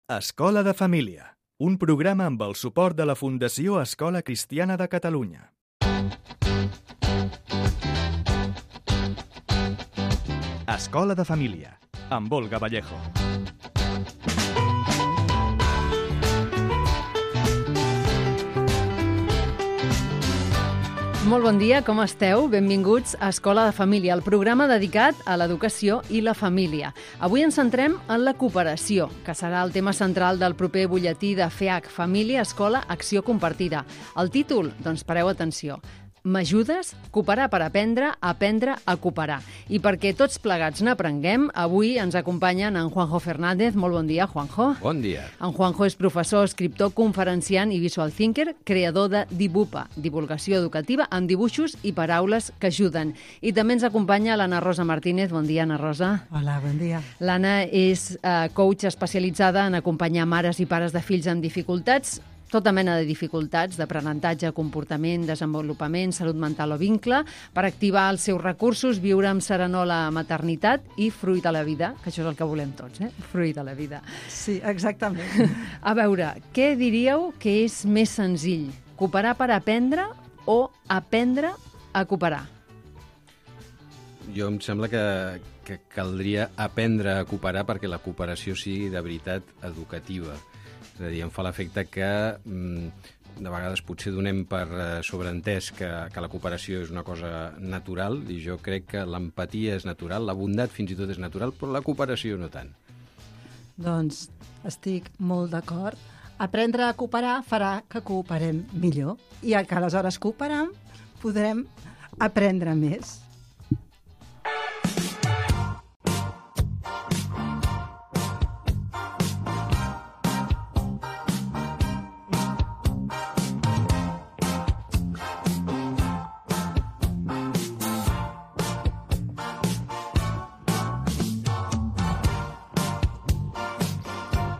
Escola de Família, un programa amb el suport de la Fundació Escola Cristiana de Catalunya. Escola de Família, amb Olga Vallejo. Molt bon dia, com esteu? Benvinguts a Escola de Família, el programa dedicat a l'educació i la família. Avui ens centrem en la cooperació, que serà el tema central del proper butlletí de FEAC, Família, Escola, Acció Compartida. El títol? Doncs pareu atenció. M'ajudes? Cooperar per aprendre a cooperar. I perquè tots plegats n'aprenguem, avui ens acompanyen en Juanjo Fernández. Molt bon dia, Juanjo. Bon dia. En Juanjo és professor, escriptor, conferenciant i visual thinker, creador de Dibupa, divulgació educativa amb dibuixos i paraules que ajuden. I també ens acompanya l'Anna Rosa Martínez. Bon dia, Anna Rosa. Hola, bon dia. L'Anna és coach especialitzada en acompanyar mares i pares de fills amb dificultats, tota mena de dificultats d'aprenentatge, comportament, desenvolupament, salut mental o vincle, per activar els seus recursos, viure amb serenor la maternitat i fruir de la vida, que això és el que volem tots, fruir de la vida. Sí, exactament. A veure, què diríeu que és més senzill? Cooperar per aprendre o aprendre a cooperar? Jo em sembla que caldria aprendre a cooperar perquè la cooperació sigui de veritat educativa. És a dir, em fa l'efecte que de vegades potser donem per sobreentès que la cooperació és una cosa natural, i jo crec que l'empatia és natural, la bondat fins i tot és natural, però la cooperació no tant. Doncs estic molt d'acord. Aprendre a cooperar farà que cooperem millor i que aleshores cooperant podrem aprendre més.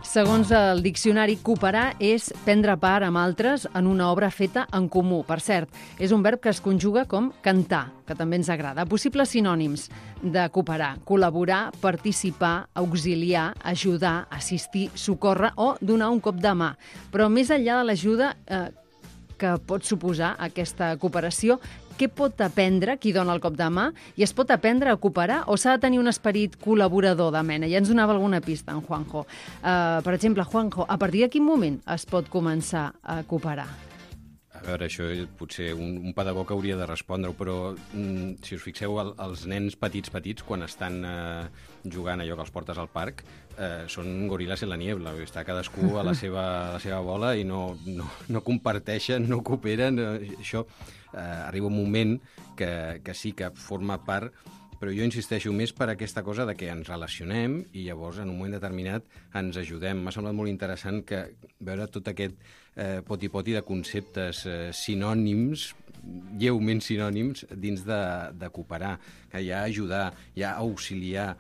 Segons el diccionari, cooperar és prendre part amb altres en una obra feta en comú. Per cert, és un verb que es conjuga com cantar, que també ens agrada. Possibles sinònims de cooperar: col·laborar, participar, auxiliar, ajudar, assistir, socórrer o donar un cop de mà. Però més enllà de l'ajuda que pot suposar aquesta cooperació, què pot aprendre qui dona el cop de mà? I es pot aprendre a cooperar o s'ha de tenir un esperit col·laborador de mena? Ja ens donava alguna pista, en Juanjo. Per exemple, Juanjo, a partir de quin moment es pot començar a cooperar? A veure, això potser un pedagog hauria de respondre-ho, però si us fixeu, els nens petits, quan estan jugant allò que els portes al parc, són goril·les en la niebla. Està cadascú a la seva bola i no comparteixen, no cooperen. Això arriba un moment que sí que forma part, però jo insisteixo més per aquesta cosa de que ens relacionem i llavors en un moment determinat ens ajudem. M'ha semblat molt interessant veure tot aquest poti-poti de conceptes sinònims, lleument sinònims, dins de cooperar, que hi ha ajudar, hi ha auxiliar,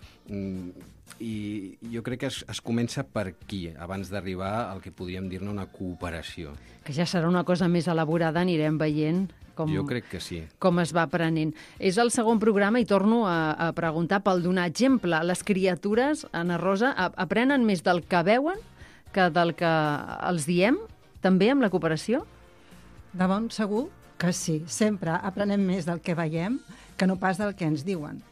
i jo crec que es comença per aquí, abans d'arribar al que podríem dir-ne una cooperació. Que ja serà una cosa més elaborada, anirem veient jo crec que sí. Com es va aprenent. És el segon programa i torno a preguntar pel donar exemple. Les criatures, Anna Rosa, aprenen més del que veuen que del que els diem, també amb la cooperació? De bon segur que sí. Sempre aprenem més del que veiem que no pas del que ens diuen.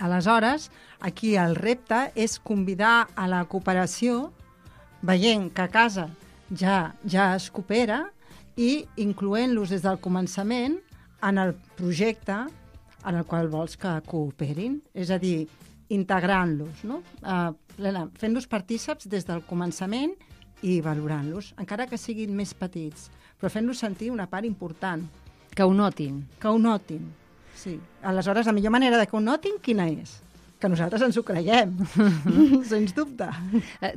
Aleshores, aquí el repte és convidar a la cooperació, veient que a casa ja es coopera, i incloent-los des del començament en el projecte en el qual vols que cooperin. És a dir, integrant-los, no? Fent-los partíceps des del començament i valorant-los, encara que siguin més petits, però fent-los sentir una part important. Que ho notin. Que ho notin, sí. Aleshores, la millor manera de que ho notin, quina és? Que nosaltres ens ho creiem, sens dubte.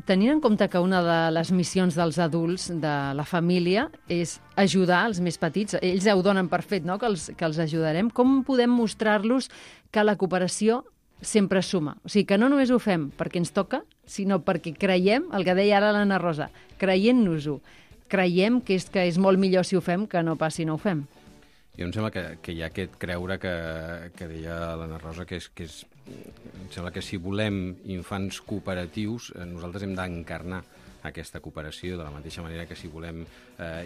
Tenint en compte que una de les missions dels adults de la família és ajudar els més petits, ells ja ho donen per fet, no? que els ajudarem, com podem mostrar-los que la cooperació sempre suma? O sigui, que no només ho fem perquè ens toca, sinó perquè creiem, el que deia ara l'Anna Rosa, creient-nos-ho, creiem que és molt millor si ho fem que no pas si no ho fem. Jo em sembla que hi ha aquest creure que deia l'Anna Rosa, que em sembla que si volem infants cooperatius, nosaltres hem d'encarnar aquesta cooperació, de la mateixa manera que si volem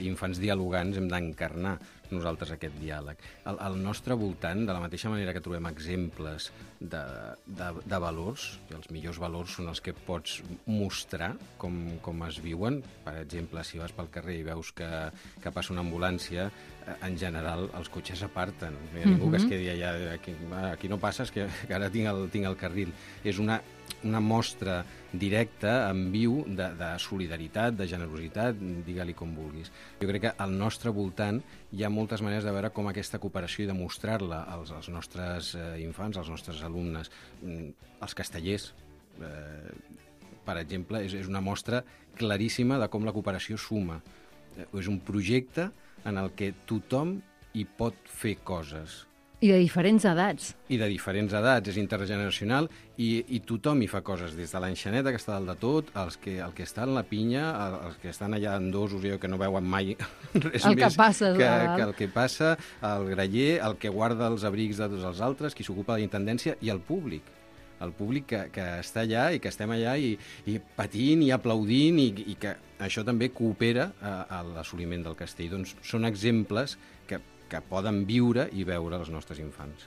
infants dialogants hem d'encarnar nosaltres aquest diàleg. Al nostre voltant, de la mateixa manera que trobem exemples de valors, i els millors valors són els que pots mostrar com es viuen. Per exemple, si vas pel carrer i veus que passa una ambulància, en general els cotxes aparten. No hi ha ningú que es quedi allà, aquí no passes, que ara tinc el carril. És una mostra directa, en viu, de solidaritat, de generositat, digue-li com vulguis. Jo crec que al nostre voltant hi ha moltes maneres de veure com aquesta cooperació i de mostrar-la als nostres infants, als nostres alumnes. Els castellers, per exemple, és una mostra claríssima de com la cooperació suma. És un projecte en el que tothom hi pot fer coses. I de diferents edats. I de diferents edats, és intergeneracional i tothom hi fa coses, des de l'enxaneta que està dalt de tot, el que està en la pinya, els que estan allà endosos i que no veuen mai res el més que passa, que el que passa, el graller, el que guarda els abrics de tots els altres, qui s'ocupa de la intendència, i el públic que està allà i que estem allà i patint i aplaudint i que això també coopera a l'assoliment del castell. Doncs són exemples que poden viure i veure els nostres infants.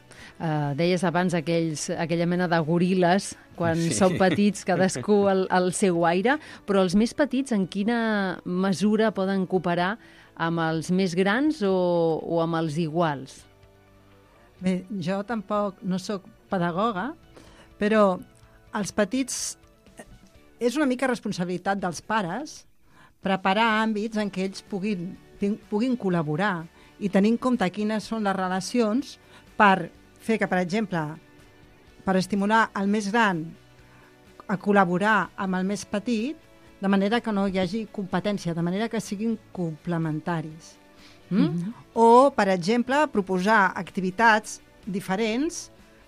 Deies abans aquella mena de goril·les, quan són petits, cadascú al seu aire, però els més petits en quina mesura poden cooperar amb els més grans o amb els iguals? Bé, jo tampoc no sóc pedagoga, però els petits és una mica responsabilitat dels pares preparar àmbits en què ells puguin col·laborar i tenir en compte quines són les relacions per fer que, per exemple, per estimular el més gran a col·laborar amb el més petit, de manera que no hi hagi competència, de manera que siguin complementaris. O, per exemple, proposar activitats diferents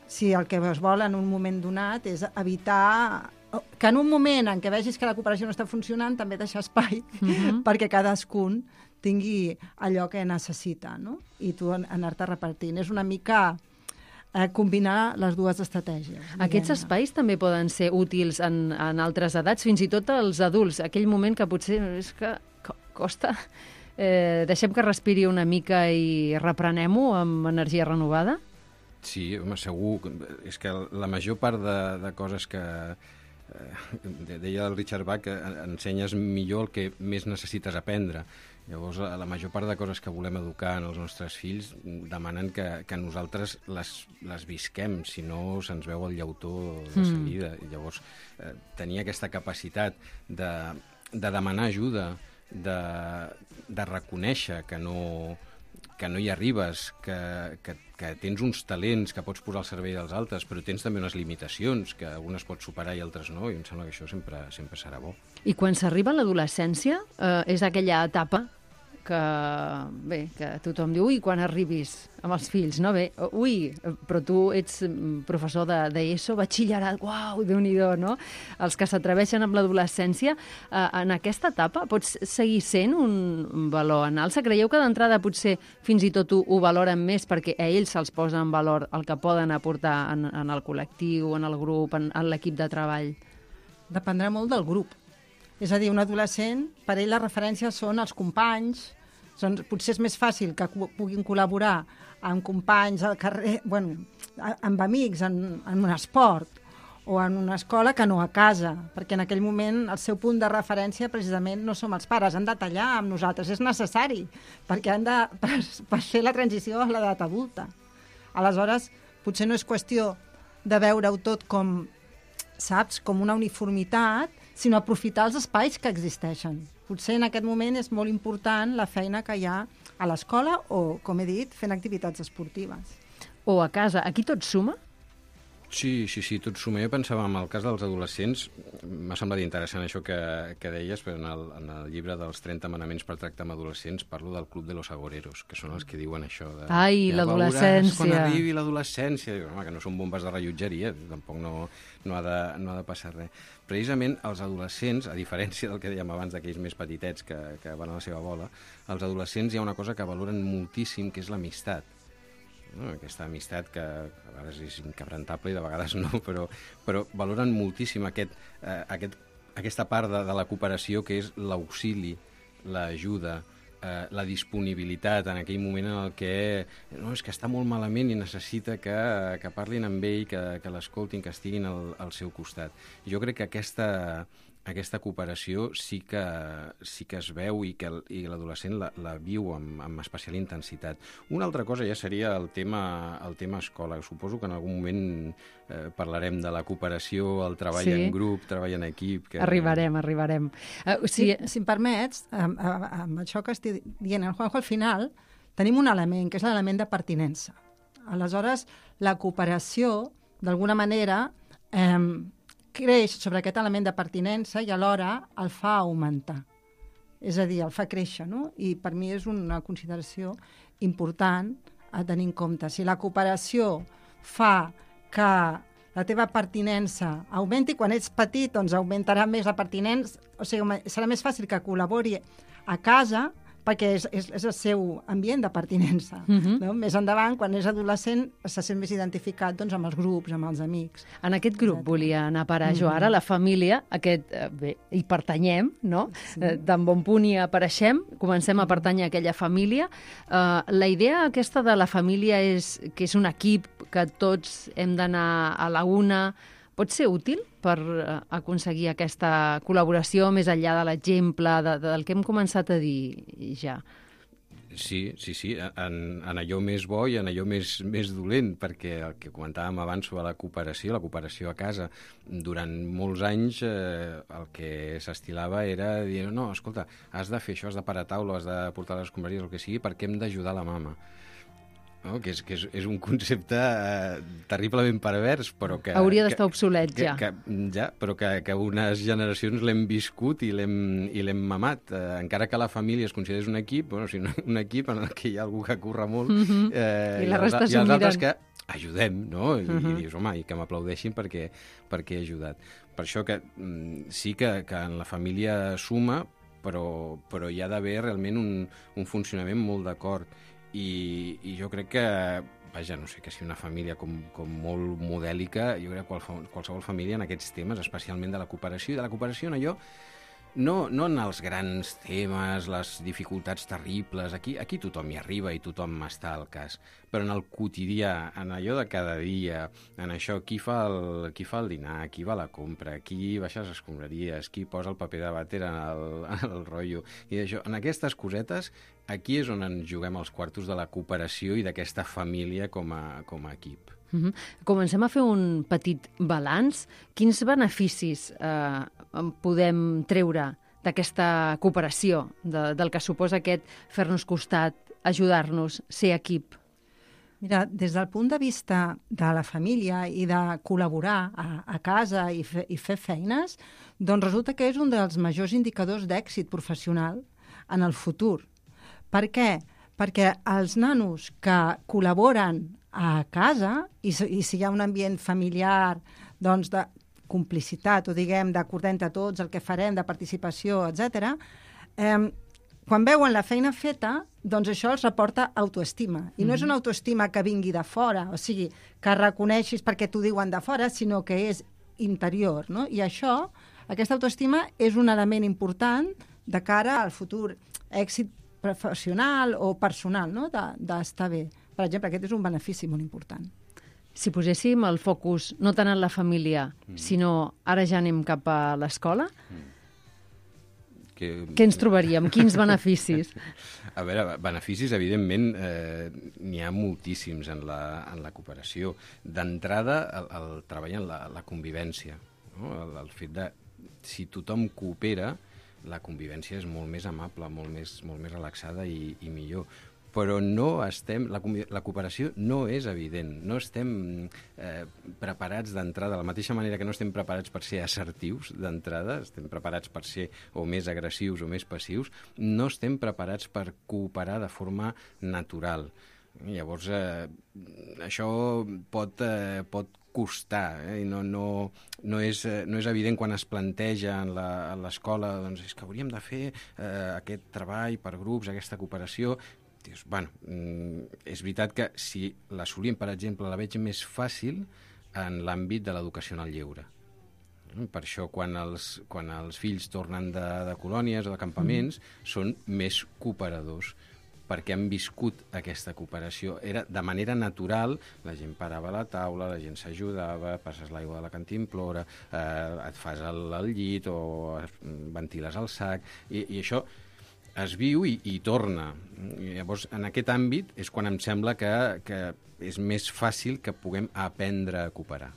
si el que es vol en un moment donat és evitar que en un moment en què vegis que la cooperació no està funcionant també deixar espai perquè cadascun tingui allò que necessita, no? I tu anar-te repartint. És una mica combinar les dues estratègies. Aquests espais també poden ser útils en altres edats, fins i tot als adults. Aquell moment que potser és que costa. Deixem que respiri una mica i reprenem-ho amb energia renovada? Sí, home, segur. És que la major part de coses que... deia el Richard Bach que ensenyes millor el que més necessites aprendre. Llavors, la major part de coses que volem educar en els nostres fills demanen que nosaltres les visquem, si no se'ns veu el llautó de seguida. Llavors, tenir aquesta capacitat de demanar ajuda, de reconèixer que no hi arribes, que tens uns talents que pots posar al servei dels altres, però tens també unes limitacions, que algunes pots superar i altres no, i em sembla que això sempre serà bo. I quan s'arriba a l'adolescència, és aquella etapa que tothom diu, ui, quan arribis amb els fills, no? Bé, ui, però tu ets professor d'ESO, batxillerat, uau, Déu-n'hi-do, no? Els que s'atreveixen amb l'adolescència, en aquesta etapa pots seguir sent un valor en alça? Creieu que d'entrada potser fins i tot ho valoren més perquè a ells se'ls posa en valor el que poden aportar en el col·lectiu, en el grup, en l'equip de treball? Dependrà molt del grup. És a dir, un adolescent, per ell la referència són els companys. Potser és més fàcil que puguin col·laborar amb companys al carrer, amb amics, en un esport o en una escola que no a casa, perquè en aquell moment el seu punt de referència precisament no som els pares, han de tallar amb nosaltres, és necessari, perquè per fer la transició a l'edat adulta. Aleshores, potser no és qüestió de veure-ho tot com, saps, com una uniformitat, sinó aprofitar els espais que existeixen. Potser en aquest moment és molt important la feina que hi ha a l'escola o, com he dit, fent activitats esportives. O a casa. Aquí tot suma? Sí, tot suma. Jo pensava, en el cas dels adolescents, m'ha semblat interessant això que deies, però en el llibre dels 30 manaments per tractar amb adolescents parlo del Club de los Agoreros, que són els que diuen això de... Ai, l'adolescència. Quan arribi l'adolescència. Home, que no són bombes de rellotgeria, tampoc no ha de passar res. Precisament els adolescents, a diferència del que dèiem abans d'aquells més petitets que van a la seva bola, els adolescents hi ha una cosa que valoren moltíssim, que és l'amistat. No? Aquesta amistat que a vegades és inquebrantable i de vegades no, però valoren moltíssim aquest aquesta part de la cooperació que és l'auxili, l'ajuda, la disponibilitat en aquell moment en el que no, és que està molt malament i necessita que parlin amb ell, que l'escoltin, que estiguin al seu costat. Jo crec que aquesta cooperació sí que es veu i que l'adolescent la viu amb especial intensitat. Una altra cosa ja seria el tema escola. Suposo que en algun moment parlarem de la cooperació, el treball en grup, treball en equip... Arribarem. Si em permets, amb això que estic dient, Juanjo, al final tenim un element, que és l'element de pertinença. Aleshores, la cooperació, d'alguna manera, creix sobre aquest element de pertinença i alhora el fa augmentar. És a dir, el fa créixer, no? I per mi és una consideració important a tenir en compte. Si la cooperació fa que la teva pertinença augmenti, quan ets petit doncs augmentarà més la pertinença, o sigui, serà més fàcil que col·labori a casa perquè és el seu ambient de pertinença. No? Més endavant, quan és adolescent, se sent més identificat doncs, amb els grups, amb els amics. En aquest grup volia anar a parar jo ara, la família, bé, hi pertanyem, no? Sí. D'en bon punt hi apareixem, comencem a pertànyer a aquella família. La idea aquesta de la família és que és un equip, que tots hem d'anar a la una. Pot ser útil per aconseguir aquesta col·laboració més enllà de l'exemple del que hem començat a dir ja? Sí. En allò més bo i en allò més dolent, perquè el que comentàvem abans sobre la cooperació a casa, durant molts anys el que s'estilava era dir, no, escolta, has de fer això, has de parar taula, has de portar les escombraries, el que sigui, perquè hem d'ajudar la mama. No? Que és un concepte terriblement pervers, però que... Hauria d'estar obsolet, ja. Però que unes generacions l'hem viscut i l'hem mamat. Encara que la família es considerés un equip, un equip en el que hi ha algú que curra molt, i els altres que ajudem, no? I dius, home, i que m'aplaudeixin perquè he ajudat. Per això que sí que en la família suma, però hi ha d'haver realment un funcionament molt d'acord. I jo crec que, vaja, no sé, que si una família com molt modèlica, jo crec que qualsevol família en aquests temes, especialment de la cooperació, i de la cooperació en allò, no en els grans temes, les dificultats terribles, aquí tothom hi arriba i tothom està al cas, però en el quotidià, en allò de cada dia, en això, qui fa el dinar, qui va a la compra, qui baixa les escombraries, qui posa el paper de vàter en el rotllo, i això, en aquestes cosetes, aquí és on ens juguem els quartos de la cooperació i d'aquesta família com a equip. Comencem a fer un petit balanç. Quins beneficis podem treure d'aquesta cooperació, del que suposa aquest fer-nos costat, ajudar-nos, ser equip? Mira, des del punt de vista de la família i de col·laborar a casa i fer feines, doncs resulta que és un dels majors indicadors d'èxit professional en el futur. Per què? Perquè els nanos que col·laboren a casa, i si hi ha un ambient familiar doncs, de complicitat, o diguem, d'acordar entre tots el que farem, de participació, etc., quan veuen la feina feta, doncs això els reporta autoestima. I no és una autoestima que vingui de fora, o sigui, que reconeixis perquè t'ho diuen de fora, sinó que és interior, no? I això, aquesta autoestima, és un element important de cara al futur èxit professional o personal, no? D'estar bé. Per exemple, aquest és un benefici molt important. Si poséssim el focus no tant en la família, sinó ara ja anem cap a l'escola, què ens trobaríem? Quins beneficis? A veure, beneficis, evidentment, n'hi ha moltíssims en la cooperació. D'entrada, el treball en la convivència. No? El fet de, si tothom coopera, la convivència és molt més amable, molt més relaxada i millor. Però la cooperació no és evident. No estem preparats d'entrada, de la mateixa manera que no estem preparats per ser assertius d'entrada, estem preparats per ser o més agressius o més passius, no estem preparats per cooperar de forma natural. Llavors, això pot costar, i no és evident quan es planteja a l'escola, doncs és que hauríem de fer aquest treball per grups, aquesta cooperació. Dius, bueno, és veritat que si l'assolim, per exemple, la veig més fàcil en l'àmbit de l'educació en el lleure. Per això, quan els fills tornen de colònies o de campaments, són més cooperadors, perquè han viscut aquesta cooperació. Era de manera natural, la gent parava a la taula, la gent s'ajudava, passes l'aigua de la cantimplora, et fas el llit o ventiles el sac, i això es viu i torna. Llavors, en aquest àmbit és quan em sembla que és més fàcil que puguem aprendre a cooperar.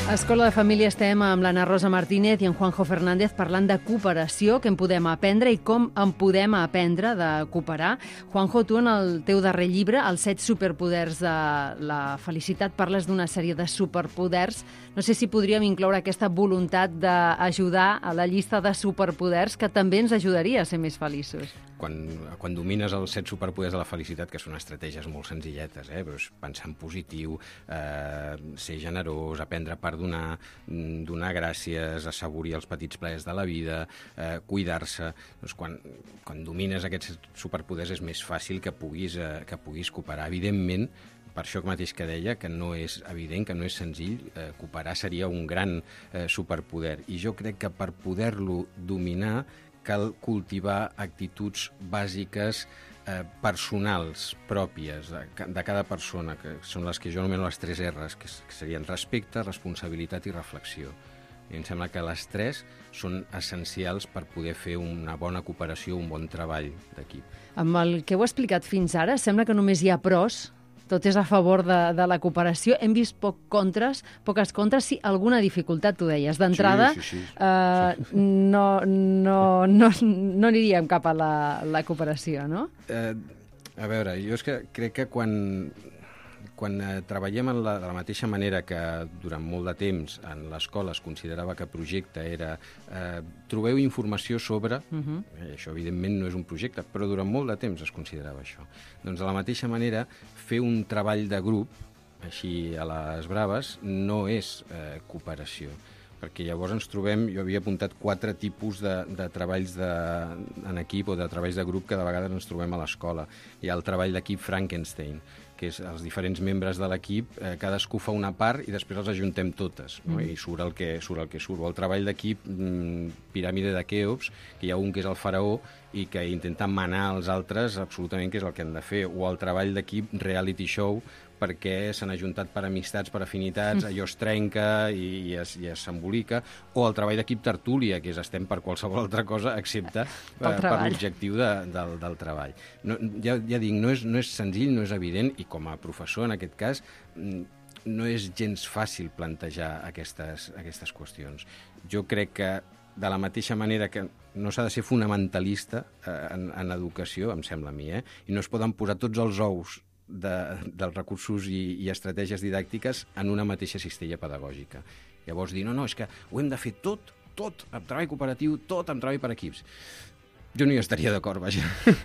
A Escola de Família estem amb l'Anna Rosa Martínez i en Juanjo Fernández parlant de cooperació, què en podem aprendre i com en podem aprendre de cooperar. Juanjo, tu en el teu darrer llibre, Els 7 superpoders de la felicitat, parles d'una sèrie de superpoders. No sé si podríem incloure aquesta voluntat d'ajudar a la llista de superpoders que també ens ajudaria a ser més feliços. Quan domines els 7 superpoders de la felicitat, que són estratègies molt senzilletes, però és pensar en positiu, ser generós, aprendre a perdonar, donar gràcies, assaborir els petits plaers de la vida, cuidar-se. Doncs quan domines aquests superpoders és més fàcil que puguis cooperar. Evidentment, per això mateix que deia, que no és evident, que no és senzill, cooperar seria un gran superpoder. I jo crec que per poder-lo dominar cal cultivar actituds bàsiques personals, pròpies, de cada persona, que són les que jo anomeno les 3 R's, que serien respecte, responsabilitat i reflexió. I em sembla que les 3 són essencials per poder fer una bona cooperació, un bon treball d'equip. Amb el que heu explicat fins ara, sembla que només hi ha pros, tot és a favor de la cooperació. Hem vist poques contres, sí, alguna dificultat, tu deies. D'entrada, sí. no aniríem cap a la cooperació, no? A veure, jo és que crec que quan treballem de la mateixa manera que durant molt de temps en l'escola es considerava que projecte era trobeu informació sobre, això evidentment no és un projecte, però durant molt de temps es considerava això. Doncs de la mateixa manera, fer un treball de grup, així a les braves, no és cooperació, perquè llavors ens trobem, jo havia apuntat 4 tipus de treballs en equip o de treballs de grup que de vegades ens trobem a l'escola. Hi ha el treball d'equip Frankenstein, que és els diferents membres de l'equip, cadascú fa una part i després els ajuntem totes, no? I surt el que surt. O el treball d'equip piràmide de Keops, que hi ha un que és el faraó i que intenta manar els altres absolutament què és el que han de fer, o el treball d'equip reality show, perquè s'han ajuntat per amistats, per afinitats, allò es trenca i s'embolica, o el treball d'equip tertúlia, que és estem per qualsevol altra cosa excepte per l'objectiu del treball. Ja dic, no és senzill, no és evident, i com a professor, en aquest cas, no és gens fàcil plantejar aquestes qüestions. Jo crec que de la mateixa manera que no s'ha de ser fonamentalista en educació, em sembla a mi, i no es poden posar tots els ous dels recursos i estratègies didàctiques en una mateixa cistella pedagògica. Llavors dir, no, és que ho hem de fer tot amb treball cooperatiu, tot amb treball per equips. Jo no hi estaria d'acord, vaja.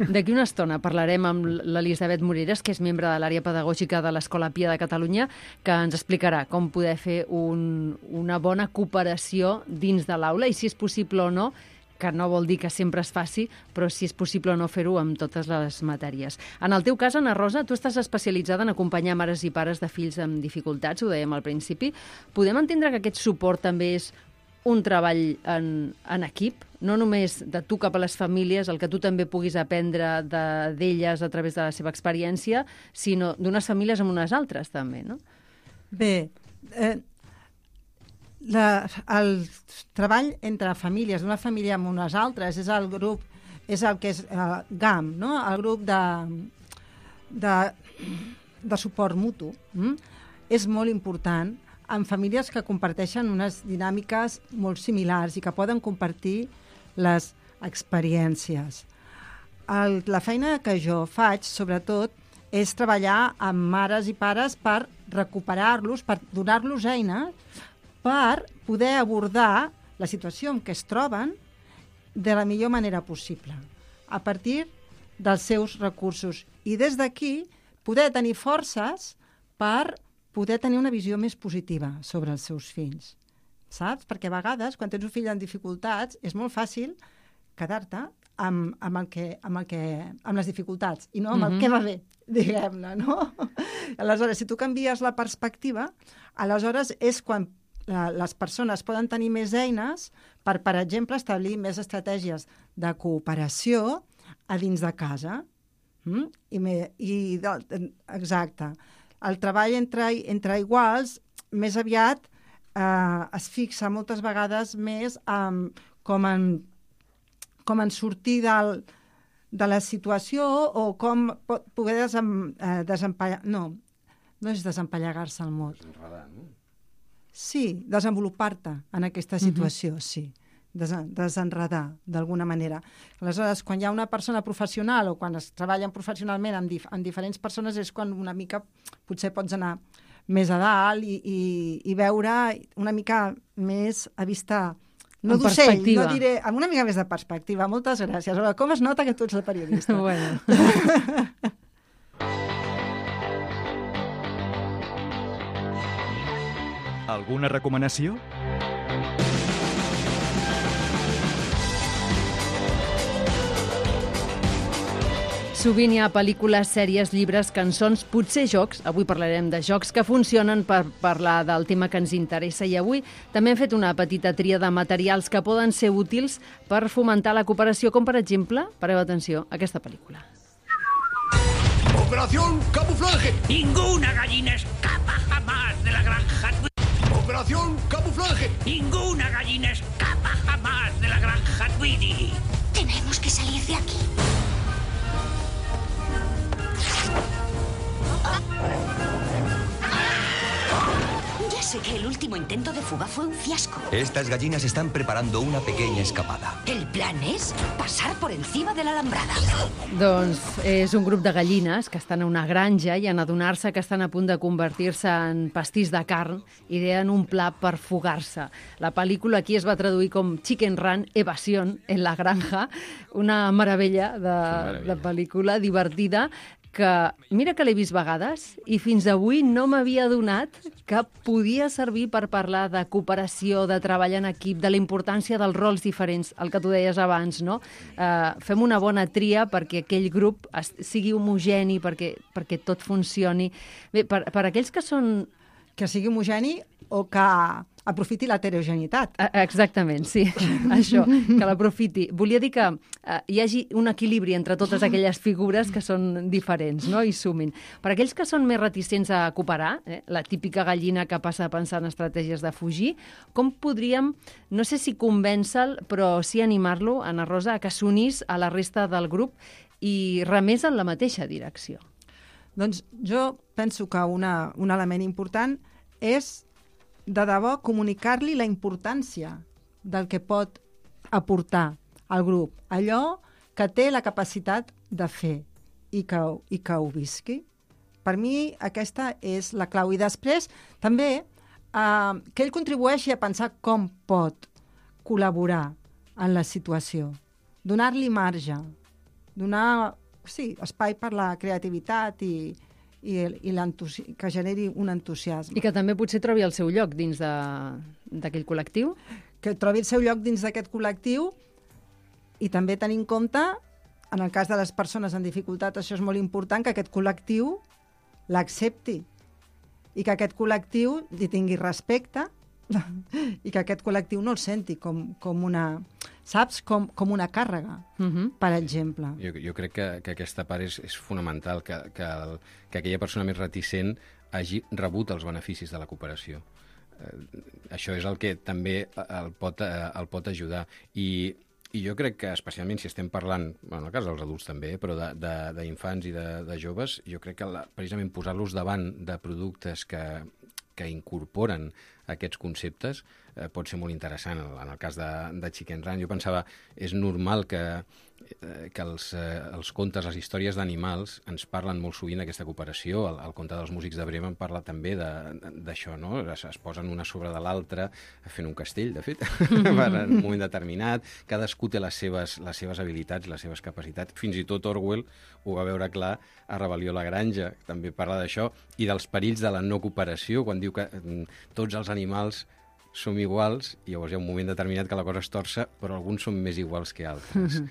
D'aquí una estona parlarem amb l'Elisabet Moreres, que és membre de l'àrea pedagògica de l'Escola Pia de Catalunya, que ens explicarà com poder fer una bona cooperació dins de l'aula i si és possible o no, que no vol dir que sempre es faci, però si és possible o no fer-ho amb totes les matèries. En el teu cas, Anna Rosa, tu estàs especialitzada en acompanyar mares i pares de fills amb dificultats, ho dèiem al principi. Podem entendre que aquest suport també és un treball en equip, no només de tu cap a les famílies, el que tu també puguis aprendre d'elles a través de la seva experiència, sinó d'unes famílies amb unes altres també, no? Bé, el treball entre famílies, d'una família amb unes altres, és el que és GAM, no? El grup de suport mutu. És molt important en famílies que comparteixen unes dinàmiques molt similars i que poden compartir les experiències. La feina que jo faig, sobretot, és treballar amb mares i pares per recuperar-los, per donar-los eines per poder abordar la situació en què es troben de la millor manera possible, a partir dels seus recursos. I des d'aquí poder tenir forces per poder tenir una visió més positiva sobre els seus fills. Saps? Perquè a vegades, quan tens un fill amb dificultats, és molt fàcil quedar-te amb les dificultats i no amb el que va bé, diguem-ne, no? Aleshores, si tu canvies la perspectiva, aleshores és quan les persones poden tenir més eines per exemple, establir més estratègies de cooperació a dins de casa. Exacte. El treball entre iguals més aviat es fixa moltes vegades més com en sortir de la situació o com poder desempallegar... No és desempallegar-se el mot. Desenredar, no? Sí, desenvolupar-te en aquesta situació, sí. Desenredar, d'alguna manera. Aleshores, quan hi ha una persona professional o quan es treballen professionalment amb diferents persones és quan una mica potser pots anar més a dalt i veure una mica més a vista... No d'ocell, no diré, amb una mica més de perspectiva. Moltes gràcies. Com es nota que tu ets la periodista? Bueno. Alguna recomanació? Sovint hi ha pel·lícules, sèries, llibres, cançons, potser jocs. Avui parlarem de jocs que funcionen per parlar del tema que ens interessa. I avui també hem fet una petita tria de materials que poden ser útils per fomentar la cooperació, com per exemple, pareu atenció, aquesta pel·lícula. ¡Operación camuflaje! Ninguna gallina escapa jamás de la granja. ¡Operación camuflaje! Ninguna gallina escapa jamás de la granja Tweety. Tenemos que salir de aquí. Ya sé que el último intento de fuga fue un fiasco. Estas gallinas están preparando una pequeña escapada. El plan es pasar por encima de la alambrada. Doncs és un grup de gallines que estan a una granja i en adonar-se que estan a punt de convertir-se en pastís de carn, ideen un pla per fugar-se. La pel·lícula aquí es va traduir com Chicken Run, evasión en la granja, una meravella de pel·lícula divertida que mira que l'he vist vegades i fins avui no m'havia adonat que podia servir per parlar de cooperació, de treball en equip, de la importància dels rols diferents, el que tu deies abans, no? Fem una bona tria perquè aquell grup sigui homogeni, perquè tot funcioni. Bé, per aquells que són... Que sigui homogeni o que aprofiti l'heterogeneïtat. Exactament, sí, això, que l'aprofiti. Volia dir que hi hagi un equilibri entre totes aquelles figures que són diferents, no?, i sumin. Per aquells que són més reticents a cooperar, la típica gallina que passa a pensar en estratègies de fugir, com podríem, no sé si convèncer-lo, però sí animar-lo, Ana Rosa, a que s'unís a la resta del grup i remés en la mateixa direcció? Doncs jo penso que un element important és, de debò, comunicar-li la importància del que pot aportar al grup, allò que té la capacitat de fer i que ho visqui. Per mi aquesta és la clau. I després també que ell contribueixi a pensar com pot col·laborar en la situació, donar-li marge, donar espai per la creativitat i que generi un entusiasme. I que també potser trobi el seu lloc dins d'aquell col·lectiu? Que trobi el seu lloc dins d'aquest col·lectiu i també tenir en compte, en el cas de les persones en dificultat, això és molt important, que aquest col·lectiu l'accepti i que aquest col·lectiu li tingui respecte i que aquest col·lectiu no el senti com una... Saps? Com una càrrega, per exemple. Jo crec que aquesta part és fonamental, que aquella persona més reticent hagi rebut els beneficis de la cooperació. Això és el que també el pot ajudar. I jo crec que, especialment si estem parlant, en el cas dels adults també, però d'infants i de joves, jo crec que precisament posar-los davant de productes que incorporen aquests conceptes pot ser molt interessant. En el cas de Chicken Run, jo pensava, és normal que els contes, les històries d'animals ens parlen molt sovint d'aquesta cooperació. El conte dels músics de Bremen parla també d'això, no? Es posen una sobre de l'altra fent un castell, de fet, en un moment determinat. Cadascú té les seves habilitats, les seves capacitats. Fins i tot Orwell ho va veure clar a Rebel·lió a la granja, també parla d'això, i dels perills de la no cooperació, quan diu que tots els animals som iguals, i llavors hi ha un moment determinat que la cosa es torça, però alguns som més iguals que altres.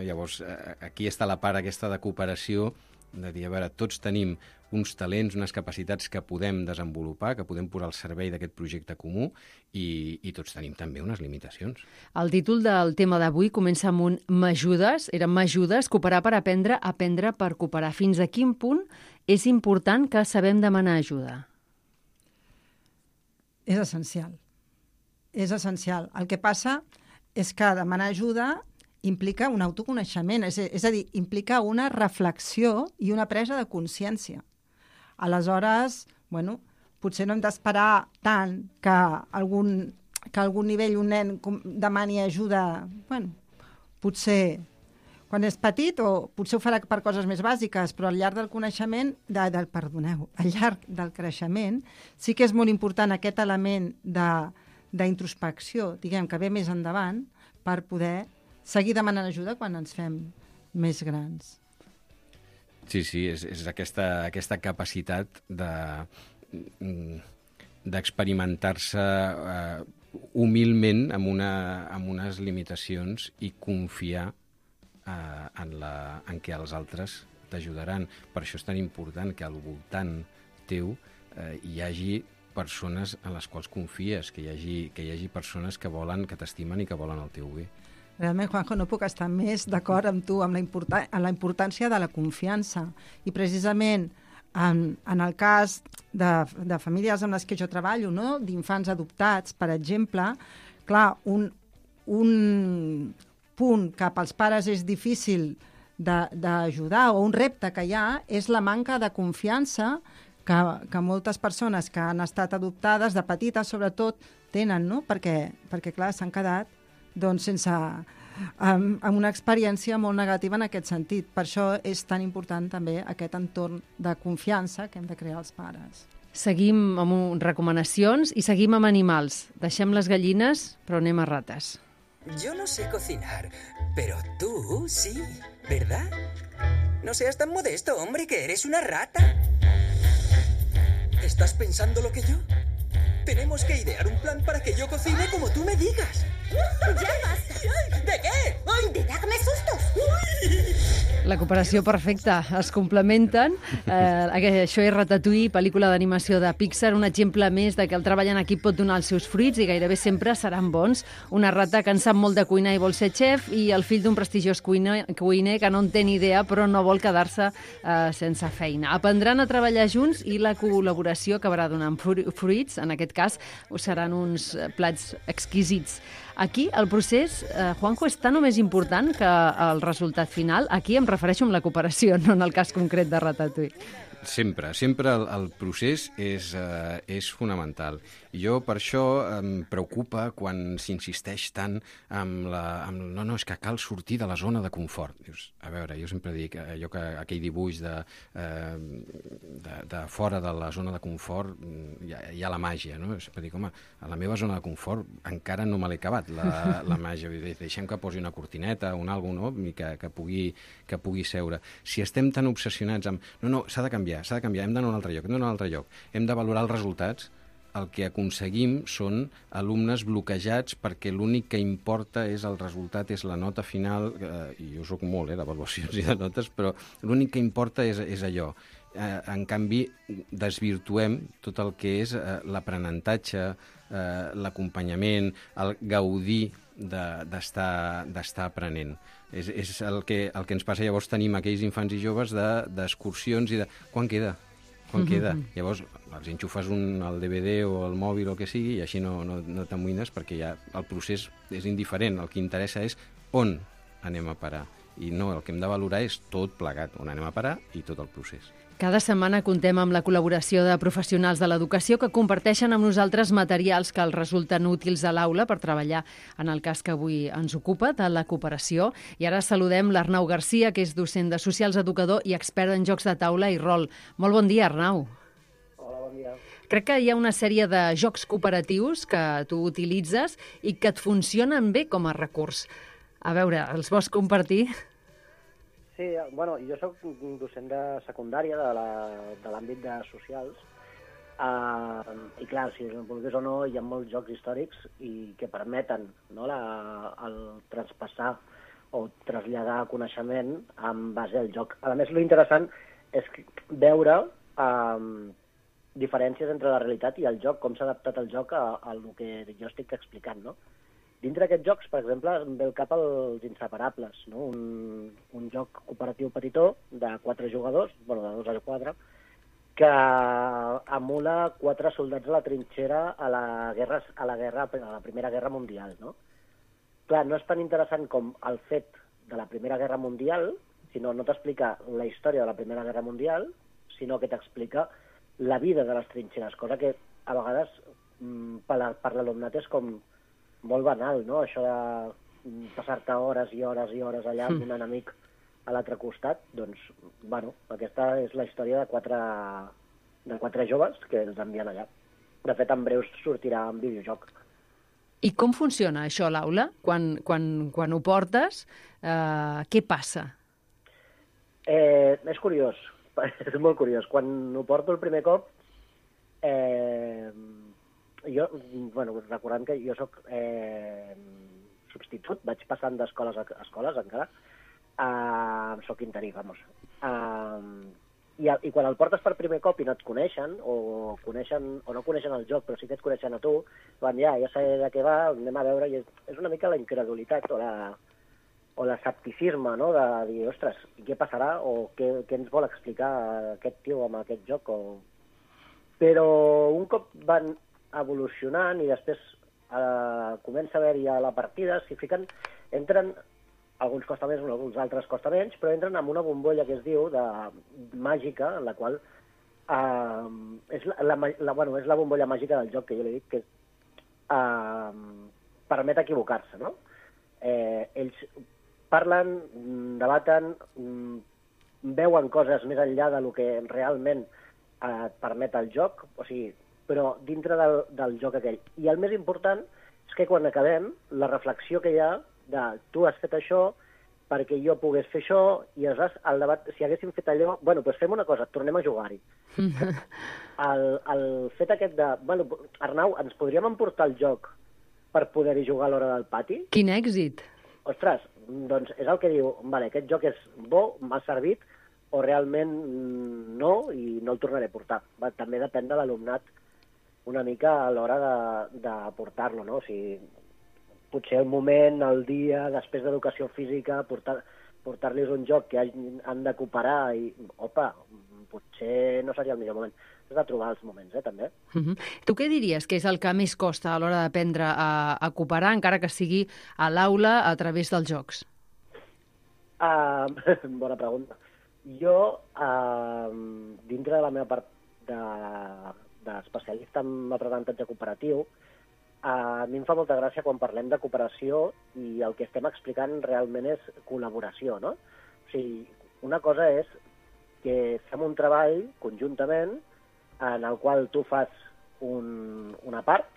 Llavors, aquí està la part aquesta de cooperació, de dir, a veure, tots tenim uns talents, unes capacitats que podem desenvolupar, que podem posar al servei d'aquest projecte comú, i tots tenim també unes limitacions. El títol del tema d'avui comença amb un m'ajudes, era m'ajudes, cooperar per aprendre, aprendre per cooperar. Fins a quin punt és important que sabem demanar ajuda? És essencial. És essencial. El que passa és que demanar ajuda implica un autoconeixement, és a dir, implica una reflexió i una presa de consciència. Aleshores, bueno, potser no hem d'esperar tant que a algun nivell un nen demani ajuda, bueno, potser quan és petit o potser ho farà per coses més bàsiques, però al llarg del coneixement, al llarg del creixement, sí que és molt important aquest element d'introspecció, diguem, que ve més endavant, per poder seguir demanant ajuda quan ens fem més grans. Sí, és aquesta capacitat d'experimentar-se humilment amb unes limitacions i confiar en què els altres t'ajudaran. Per això és tan important que al voltant teu hi hagi persones en les quals confies, que hi hagi persones que t'estimen i que volen el teu bé. Realment, Juanjo, no puc estar més d'acord amb tu amb la importància de la confiança. I precisament en el cas de famílies amb les que jo treballo, no? D'infants adoptats, per exemple, clar, un punt que pels pares és difícil d'ajudar o un repte que hi ha és la manca de confiança que moltes persones que han estat adoptades de petites, sobretot, tenen, no? Perquè clar, s'han quedat amb una experiència molt negativa en aquest sentit. Per això és tan important també aquest entorn de confiança que hem de crear els pares. Seguim amb recomanacions i seguim amb animals. Deixem les gallines, però anem a rates. Yo no sé cocinar, pero tú sí, ¿verdad? No seas tan modesto, hombre, que eres una rata. ¿Estás pensando lo que yo? Tenemos que idear un plan para que yo cocine como tú me digas. ¡Ya basta! ¿De qué? ¡Ay, de darme sustos! La cooperació perfecta, es complementen. Això és Ratatouille, pel·lícula d'animació de Pixar, un exemple més de que el treball en equip pot donar els seus fruits i gairebé sempre seran bons. Una rata que en sap molt de cuinar i vol ser xef, i el fill d'un prestigiós cuiner que no en té ni idea però no vol quedar-se sense feina. Aprendran a treballar junts i la col·laboració acabarà donant fruits. En aquest cas, seran uns plats exquisits. Aquí el procés, Juanjo, és tan o més important que el resultat final. Aquí em refereixo amb la cooperació, no en el cas concret de Ratatouille. Sempre el procés és fonamental. I jo per això em preocupa quan s'insisteix tant amb no, és que cal sortir de la zona de confort. Dius, a veure, jo sempre dic aquell dibuix de fora de la zona de confort hi ha la màgia, no? Sempre dic, home, a la meva zona de confort encara no me l'he acabat, la màgia. Deixem que posi una cortineta, un àlbum, no? Que pugui seure. Si estem tan obsessionats amb no, s'ha de canviar, hem d'anar a un altre lloc, hem de valorar els resultats, el que aconseguim són alumnes bloquejats perquè l'únic que importa és el resultat, és la nota final, i jo soc molt d'avaluacions i de notes, però l'únic que importa és allò. En canvi, desvirtuem tot el que és l'aprenentatge, l'acompanyament, el gaudir d'estar aprenent. És el que ens passa. Llavors tenim aquells infants i joves d'excursions i de quan queda? Llavors els enxufes al DVD o al mòbil o el que sigui i així no t'amoïnes perquè ja el procés és indiferent. El que interessa és on anem a parar. I no, el que hem de valorar és tot plegat, on anem a parar i tot el procés. Cada setmana contem amb la col·laboració de professionals de l'educació que comparteixen amb nosaltres materials que els resulten útils a l'aula per treballar en el cas que avui ens ocupa, de la cooperació. I ara saludem l'Arnau Garcia, que és docent de socials, educador i expert en jocs de taula i rol. Molt bon dia, Arnau. Hola, bon dia. Crec que hi ha una sèrie de jocs cooperatius que tu utilitzes i que et funcionen bé com a recurs. A veure, els vols compartir? Sí, bueno, jo soc docent de secundària de l'àmbit de socials I clar, si us en vulguis o no, hi ha molts jocs històrics i que permeten, no, el traspassar o traslladar coneixement en base al joc. A més, l'interessant és veure diferències entre la realitat i el joc, com s'ha adaptat el joc a el que jo estic explicant, no? Dintre d'aquests jocs, per exemple, em ve el cap els Inseparables, no? Un joc cooperatiu petitó de 4 jugadors, bueno, de 2 a 4, que emula 4 soldats a la trinxera a la Primera Guerra Mundial, no? Clar, no és tan interessant com el fet de la Primera Guerra Mundial, sinó no t'explica la història de la Primera Guerra Mundial, sinó que t'explica la vida de les trinxeres, cosa que a vegades per l'alumnat és com molt banal, no? Això de passar-te hores i hores i hores allà amb un enemic a l'altre costat, doncs, bueno, aquesta és la història de quatre joves que els envien allà. De fet, en breu sortirà en videojoc. I com funciona això a l'aula? Quan ho portes, què passa? És curiós, és molt curiós. Quan ho porto el primer cop, jo, bueno, recordant que jo soc substitut, vaig passant d'escoles a escoles encara, soc interí, vamos. I quan el portes per primer cop i no et coneixen, o no coneixen el joc, però sí que et coneixen a tu, van, ja sé de què va, anem a veure, i és una mica la incredulitat o l'escepticisme, no?, de dir, ostres, què passarà, o què ens vol explicar aquest tio amb aquest joc, Però un cop van evolucionant i després comença a haver-hi a la partida, s'hi fiquen, entren, alguns costa més, alguns altres costa menys, però entren en una bombolla que es diu màgica, en la qual és la bombolla màgica del joc, que jo li dic, que permet equivocar-se, no? Ells parlen, debaten, veuen coses més enllà del que realment et permet el joc, o sigui, però dintre del joc aquell. I el més important és que quan acabem, la reflexió que hi ha de tu has fet això perquè jo pogués fer això, i aleshores el debat, si haguéssim fet allò, bueno, doncs fem una cosa, tornem a jugar-hi. El fet aquest de, bueno, Arnau, ens podríem emportar el joc per poder-hi jugar a l'hora del pati? Quin èxit! Ostres, doncs és el que diu, vale, aquest joc és bo, m'ha servit, o realment no, i no el tornaré a portar. També depèn de l'alumnat una mica a l'hora de portar-lo, no? O sigui, potser el moment, el dia, després d'educació física, portar-los un joc que han de cooperar i, opa, potser no seria el millor moment. Has de trobar els moments, també. Tu què diries que és el que més costa a l'hora d'aprendre a cooperar, encara que sigui a l'aula a través dels jocs? Bona pregunta. Jo, dintre de la meva part d'especialista en aprenentatge cooperatiu, a mi em fa molta gràcia quan parlem de cooperació i el que estem explicant realment és col·laboració, no? O sigui, una cosa és que fem un treball conjuntament en el qual tu fas una part,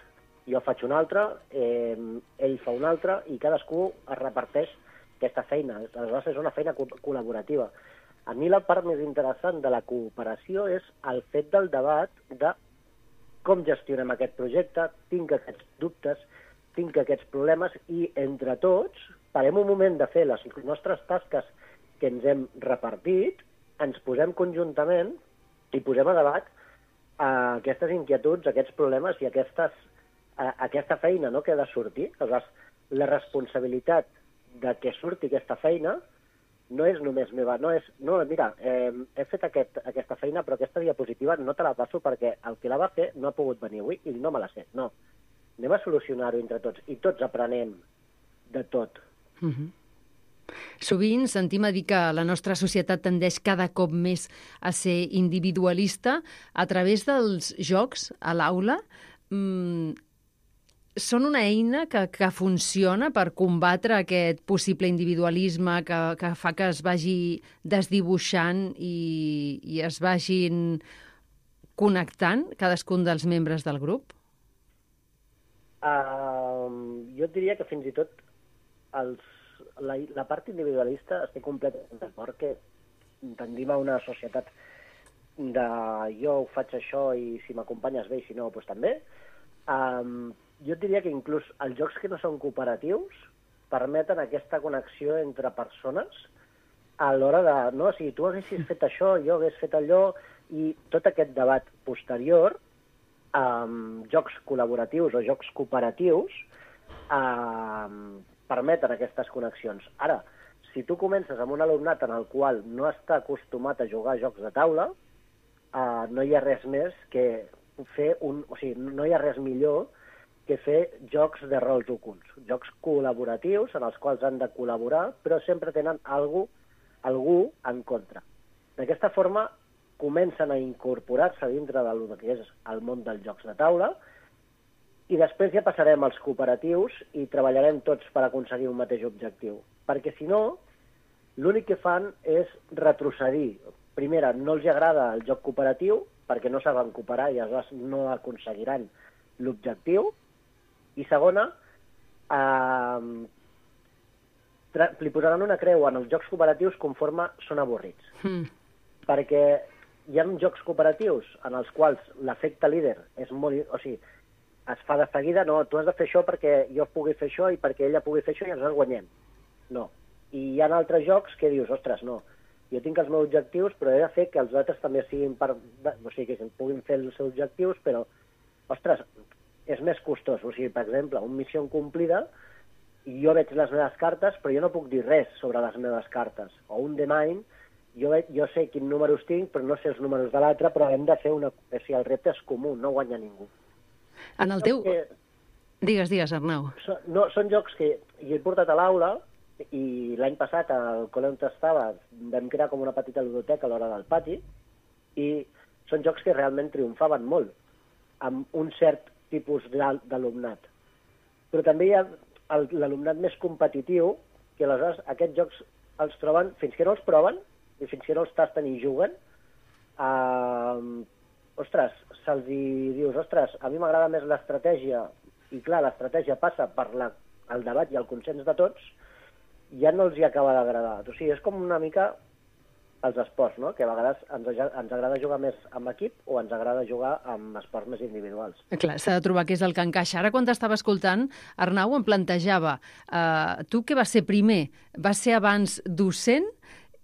jo faig una altra, ell fa una altra i cadascú es reparteix aquesta feina. Aleshores és una feina col·laborativa. A mi la part més interessant de la cooperació és el fet del debat de com gestionem aquest projecte, tinc aquests dubtes, tinc aquests problemes, i entre tots parem un moment de fer les nostres tasques que ens hem repartit, ens posem conjuntament i posem a debat aquestes inquietuds, aquests problemes i aquesta feina, no?, que ha de sortir. Aleshores, la responsabilitat de que surti aquesta feina no és només meva, mira, he fet aquesta feina, però aquesta diapositiva no te la passo perquè el que la va fer no ha pogut venir avui i no me la sé. No, anem a solucionar-ho entre tots, i tots aprenem de tot. Sovint sentim a dir que la nostra societat tendeix cada cop més a ser individualista. A través dels jocs a l'aula, són una eina que funciona per combatre aquest possible individualisme que fa que es vagi desdibuixant i es vagin connectant cadascun dels membres del grup? Jo diria que fins i tot la part individualista estic completament d'acord que tendim a una societat de jo ho faig això i si m'acompanyes bé i si no, doncs també, jo et diria que inclús els jocs que no són cooperatius permeten aquesta connexió entre persones a l'hora de, no, si tu haguessis fet això, jo hagués fet allò, i tot aquest debat posterior, jocs col·laboratius o jocs cooperatius, permeten aquestes connexions. Ara, si tu comences amb un alumnat en el qual no està acostumat a jugar a jocs de taula, no hi ha res més que fer no hi ha res millor que fer jocs de rols ocults, jocs col·laboratius en els quals han de col·laborar, però sempre tenen algú en contra. D'aquesta forma, comencen a incorporar-se dintre del que és el món dels jocs de taula i després ja passarem als cooperatius i treballarem tots per aconseguir un mateix objectiu. Perquè, si no, l'únic que fan és retrocedir. Primera, no els agrada el joc cooperatiu perquè no saben cooperar i aleshores no aconseguiran l'objectiu. I segona, li posaran una creu en els jocs cooperatius conforme són avorrits. Perquè hi ha jocs cooperatius en els quals l'efecte líder és molt... O sigui, es fa de seguida, no, tu has de fer això perquè jo pugui fer això i perquè ella pugui fer això i ens guanyem. No. I hi ha altres jocs que dius, ostres, no, jo tinc els meus objectius, però he de fer que els altres també siguin o sigui, que puguin fer els seus objectius, però, ostres, és més costós. O sigui, per exemple, un missió incomplida, jo veig les meves cartes, però jo no puc dir res sobre les meves cartes. O un The Mind, jo sé quins números tinc, però no sé els números de l'altre, però hem de fer una... O sigui, el repte és comú, no guanya ningú. En el teu... Digues, Arnau. Són jocs que jo he portat a l'aula i l'any passat, al col·le on estava, vam crear com una petita ludoteca a l'hora del pati i són jocs que realment triomfaven molt amb un cert tipus d'alumnat. Però també hi ha l'alumnat més competitiu que aleshores aquests jocs els troben, fins que no els proven i fins que no els tasten i juguen, ostres, se'ls dius, ostres, a mi m'agrada més l'estratègia, i clar, l'estratègia passa per el debat i el consens de tots, ja no els hi acaba d'agradar. O sigui, és com una mica els esports, no? Que a vegades ens agrada jugar més amb equip o ens agrada jugar amb esports més individuals. Clar, s'ha de trobar què és el que encaixa. Ara, quan t'estava escoltant, Arnau em plantejava, tu què vas ser primer? Vas ser abans docent?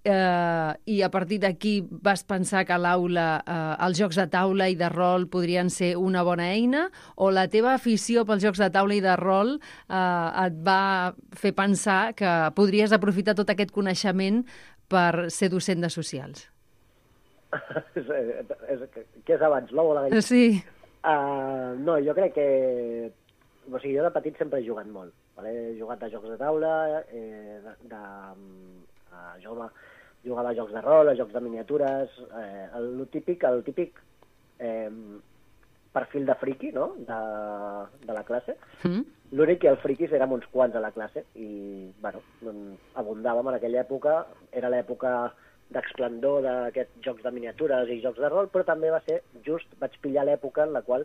I a partir d'aquí vas pensar que a l'aula els jocs de taula i de rol podrien ser una bona eina, o la teva afició pels jocs de taula i de rol et va fer pensar que podries aprofitar tot aquest coneixement per ser docent de socials? Què és abans, l'ou o la gallina? Sí. No, jo crec que... O sigui, jo de petit sempre he jugat molt. He jugat a jocs de taula, jugava a jocs de rol, a jocs de miniatures, el típic perfil de friqui, no?, de la classe. L'únic que els friquis érem uns quants a la classe i, bueno, abundàvem en aquella època. Era l'època d'esplendor d'aquests jocs de miniatures i jocs de rol, però també va ser vaig pillar l'època en la qual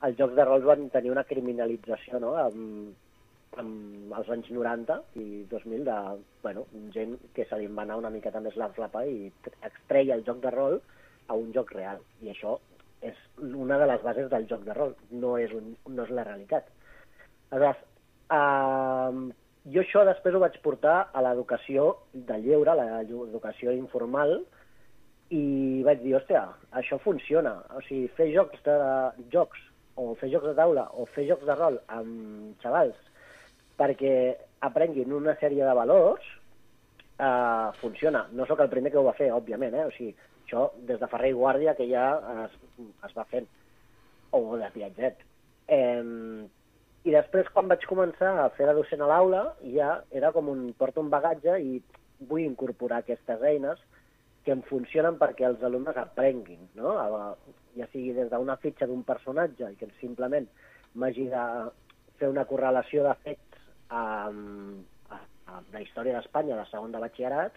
els jocs de rol van tenir una criminalització, no?, amb els anys 90 i 2000 de, bueno, gent que se li va anar una miqueta més la flapa i extreia el joc de rol a un joc real. I això és una de les bases del joc de rol, no és la realitat. Aleshores, jo això després ho vaig portar a l'educació de lleure, a l'educació informal, i vaig dir, hòstia, això funciona. O sigui, fer jocs o fer jocs de taula o fer jocs de rol amb xavals perquè aprenguin una sèrie de valors, funciona. No sóc el primer que ho va fer, òbviament, O sigui, això des de Ferrer i Guàrdia, que ja es va fent, o de Piaget. I després, quan vaig començar a fer de docent a l'aula, ja era com porto un bagatge i vull incorporar aquestes eines que em funcionen perquè els alumnes aprenguin, no? Ja sigui des d'una fitxa d'un personatge i que simplement m'hagi de fer una correlació de fets a la història d'Espanya de segon de batxillerat,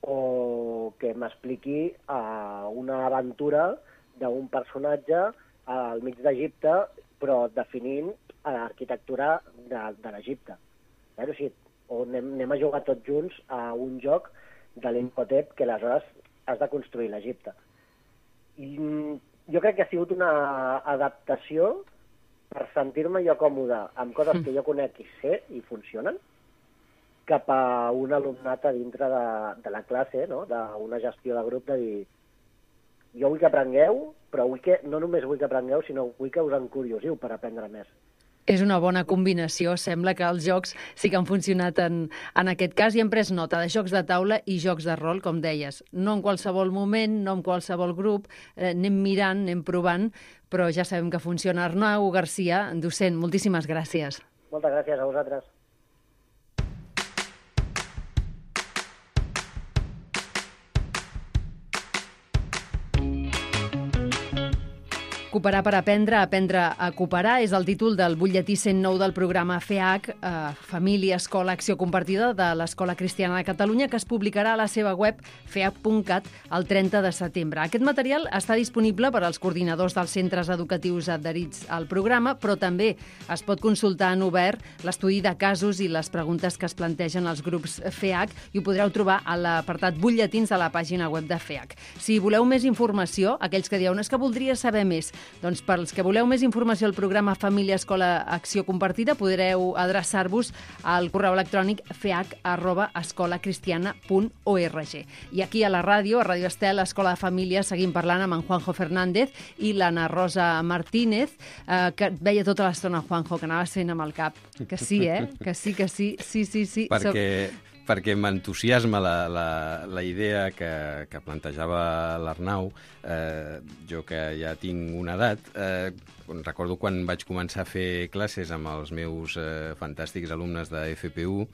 o que m'expliqui una aventura d'un personatge al mig d'Egipte, però definint l'arquitectura de l'Egipte. O sigui, anem a jugar tots junts a un joc de l'Imhotep que aleshores has de construir l'Egipte. jo crec que ha sigut una adaptació per sentir-me jo còmode amb coses que jo conec i sé i funcionen, cap a un alumnat a dintre de la classe, no? D'una gestió de grup, de dir, jo vull que aprengueu, però no només vull que aprengueu, sinó vull que us encuriosiu per aprendre més. És una bona combinació. Sembla que els jocs sí que han funcionat en aquest cas i hem pres nota de jocs de taula i jocs de rol, com deies. No en qualsevol moment, no en qualsevol grup, anem mirant, anem provant, però ja sabem que funciona. Arnau Garcia, docent, moltíssimes gràcies. Moltes gràcies a vosaltres. Cooperar per aprendre a cooperar és el títol del butlletí 109 del programa FEAC, Família, Escola, Acció Compartida de l'Escola Cristiana de Catalunya, que es publicarà a la seva web feac.cat el 30 de setembre. Aquest material està disponible per als coordinadors dels centres educatius adherits al programa, però també es pot consultar en obert l'estudi de casos i les preguntes que es plantegen als grups FEAC i ho podreu trobar a l'apartat butlletins de la pàgina web de FEAC. Si voleu més informació, aquells que dieu, és que voldria saber més, doncs per als que voleu més informació al programa Família, Escola, Acció Compartida, podreu adreçar-vos al correu electrònic feac@escolacristiana.org. I aquí a la ràdio, a Ràdio Estel, Escola de Família, seguim parlant amb en Juanjo Fernández i l'Anna Rosa Martínez, que et veia tota l'estona, Juanjo, que anaves fent amb el cap. Que sí, Que sí. Sí. Perquè m'entusiasma la idea que plantejava l'Arnau. Jo que ja tinc una edat, recordo quan vaig començar a fer classes amb els meus fantàstics alumnes de FPU,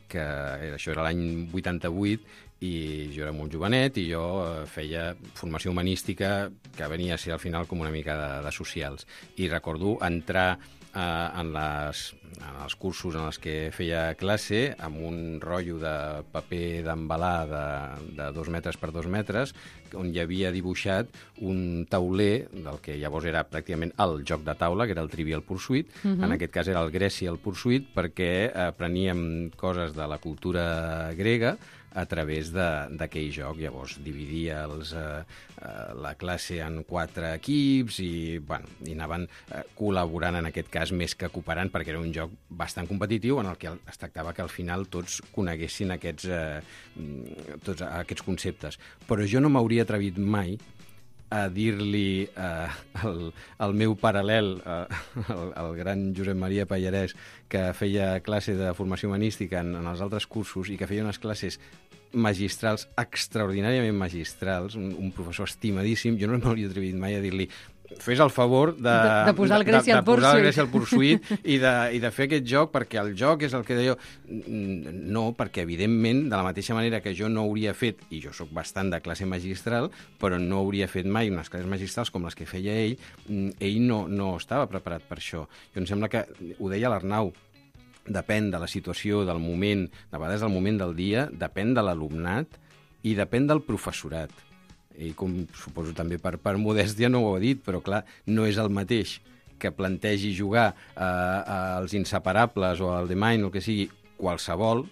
que això era l'any 88, i jo era molt jovenet i jo feia formació humanística que venia a ser al final com una mica de socials. I recordo entrar en els cursos en els que feia classe amb un rotllo de paper d'embalar de 2 metres per 2 metres on hi havia dibuixat un tauler del que llavors era pràcticament el joc de taula, que era el Trivial Pursuit. En aquest cas era el Grecial Pursuit, perquè apreníem coses de la cultura grega a través d'aquell joc. Llavors dividia la classe en 4 equips i anaven col·laborant en aquest cas més que cooperant, perquè era un joc bastant competitiu en el que es tractava que al final tots coneguessin tots aquests conceptes. Però jo no m'hauria atrevit mai a dir-li al meu paral·lel, el gran Josep Maria Pallarès, que feia classe de formació humanística en els altres cursos i que feia unes classes magistrals, extraordinàriament magistrals, un professor estimadíssim, jo no m'hauria atrevit mai a dir-li fes el favor de posar el Grecial Pursuit i de fer aquest joc, perquè el joc és el que deia. No, perquè evidentment, de la mateixa manera que jo no hauria fet, i jo sóc bastant de classe magistral, però no hauria fet mai unes classes magistrals com les que feia ell no estava preparat per això. Jo em sembla que, ho deia l'Arnau, depèn de la situació, del moment, de vegades del moment del dia, depèn de l'alumnat i depèn del professorat. I com suposo també per modèstia no ho ha dit, però clar, no és el mateix que plantegi jugar als Inseparables o al The Mind o el que sigui, qualsevol,